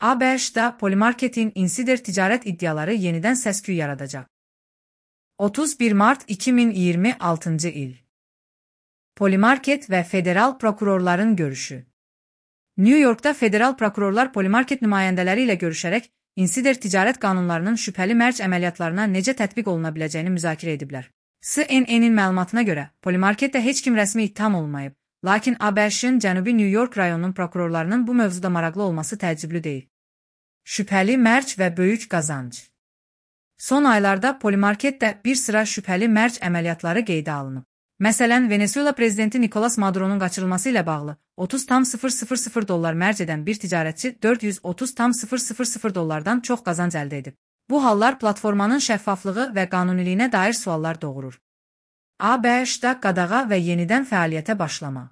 ABŞ-da Polymarket'in insider ticaret iddiaları yeniden səs-küy yaradacaq. 31 Mart 2026 il. Polymarket və federal prokurorların görüşü. New York'da federal prokurorlar Polymarket nümayəndələri ilə görüşərək insider ticarət qanunlarının şübhəli mərc əməliyyatlarına necə tətbiq oluna biləcəyini müzakirə ediblər. CNN-in məlumatına görə, Polymarketdə heç kim rəsmi ittiham olunmayıb, lakin ABŞ-ın Cənubi New York rayonunun prokurorlarının bu mövzuda maraqlı olması təəccüblü deyil. Şübhəli mərc və böyük qazanc. Son aylarda Polymarketdə bir sıra şübhəli mərc əməliyyatları qeydə alınıb. Məsələn, Venezuela prezidenti Nicolas Maduro'nun qaçırılması ilə bağlı $30,000 mərc edən bir ticarətçi $430,000 çox qazanc əldə edib. Bu hallar platformanın şəffaflığı və qanuniliyinə dair suallar doğurur. ABŞ-da qadağa və yenidən fəaliyyətə başlama.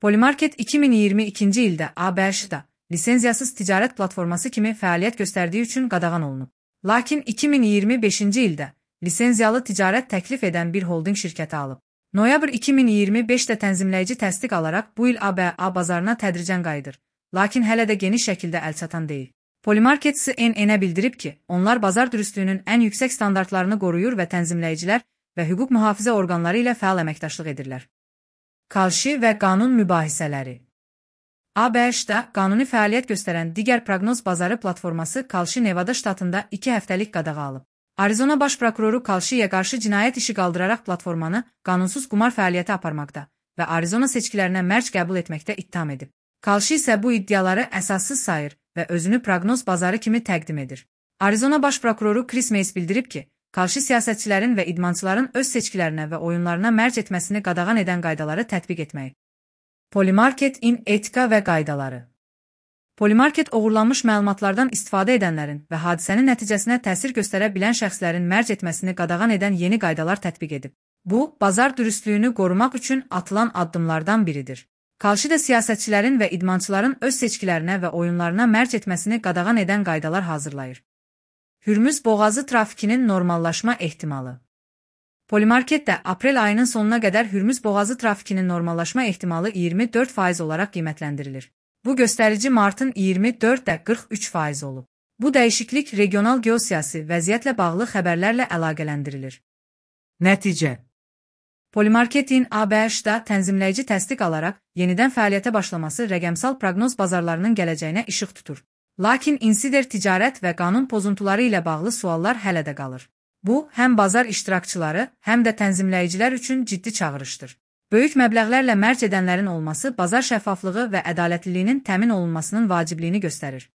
Polymarket 2022-ci ildə ABŞ-da lisenziyasız ticarət platforması kimi fəaliyyət göstərdiyi üçün qadağan olunub. Lakin 2025-ci ildə lisenziyalı ticarət təklif edən bir holding şirkəti alıb. Noyabr 2025-də tənzimləyici təsdiq alaraq bu il ABA bazarına tədricən qayıdır, lakin hələ də geniş şəkildə əlçatan deyil. Polymarket CNN-ə bildirib ki, onlar bazar dürüstlüyünün ən yüksək standartlarını qoruyur və tənzimləyicilər və hüquq mühafizə orqanları ilə fəal əməkdaşlıq edirlər. Kalşi və qanun mübahisələri. ABŞ-da qanuni fəaliyyət göstərən digər proqnoz bazarı platforması Kalşi Nevada ştatında 2 həftəlik qadağa alıb. Arizona baş prokuroru Kalşiyə qarşı cinayət işi qaldıraraq platformanı qanunsuz qumar fəaliyyəti aparmaqda və Arizona seçkilərinə mərc qəbul etməkdə ittiham edib. Kalşi isə bu iddiaları əsassız sayır və özünü proqnoz bazarı kimi təqdim edir. Arizona baş prokuroru Chris Mays bildirib ki, Kalşi siyasətçilərin və idmançıların öz seçkilərinə və oyunlarına mərc etməsini qadağan edən qaydaları tətbiq etməyi. Polymarketin etika və qaydaları. Polymarket oğurlanmış məlumatlardan istifadə edənlərin və hadisənin nəticəsinə təsir göstərə bilən şəxslərin mərc etməsini qadağan edən yeni qaydalar tətbiq edib. Bu, bazar dürüstlüyünü qorumaq üçün atılan addımlardan biridir. Kalşi də siyasətçilərin və idmançıların öz seçkilərinə və oyunlarına mərc etməsini qadağan edən qaydalar hazırlayır. Hürmüz boğazı trafikinin normallaşma ehtimalı. Polymarketdə aprel ayının sonuna qədər Hürmüz boğazı trafikinin normallaşma ehtimalı 24% olaraq qiymətləndirilir. Bu göstərici martın 24-də 43% olub. Bu dəyişiklik regional geosiyasi vəziyyətlə bağlı xəbərlərlə əlaqələndirilir. Nəticə. Polymarketin ABŞ-da tənzimləyici təsdiq alaraq yenidən fəaliyyətə başlaması rəqəmsal proqnoz bazarlarının gələcəyinə işıq tutur. Lakin insider ticarət və qanun pozuntuları ilə bağlı suallar hələ də qalır. Bu, həm bazar iştirakçıları, həm də tənzimləyicilər üçün ciddi çağırışdır. Böyük məbləğlərlə mərc edənlərin olması bazar şəffaflığı və ədalətliliyinin təmin olunmasının vacibliyini göstərir.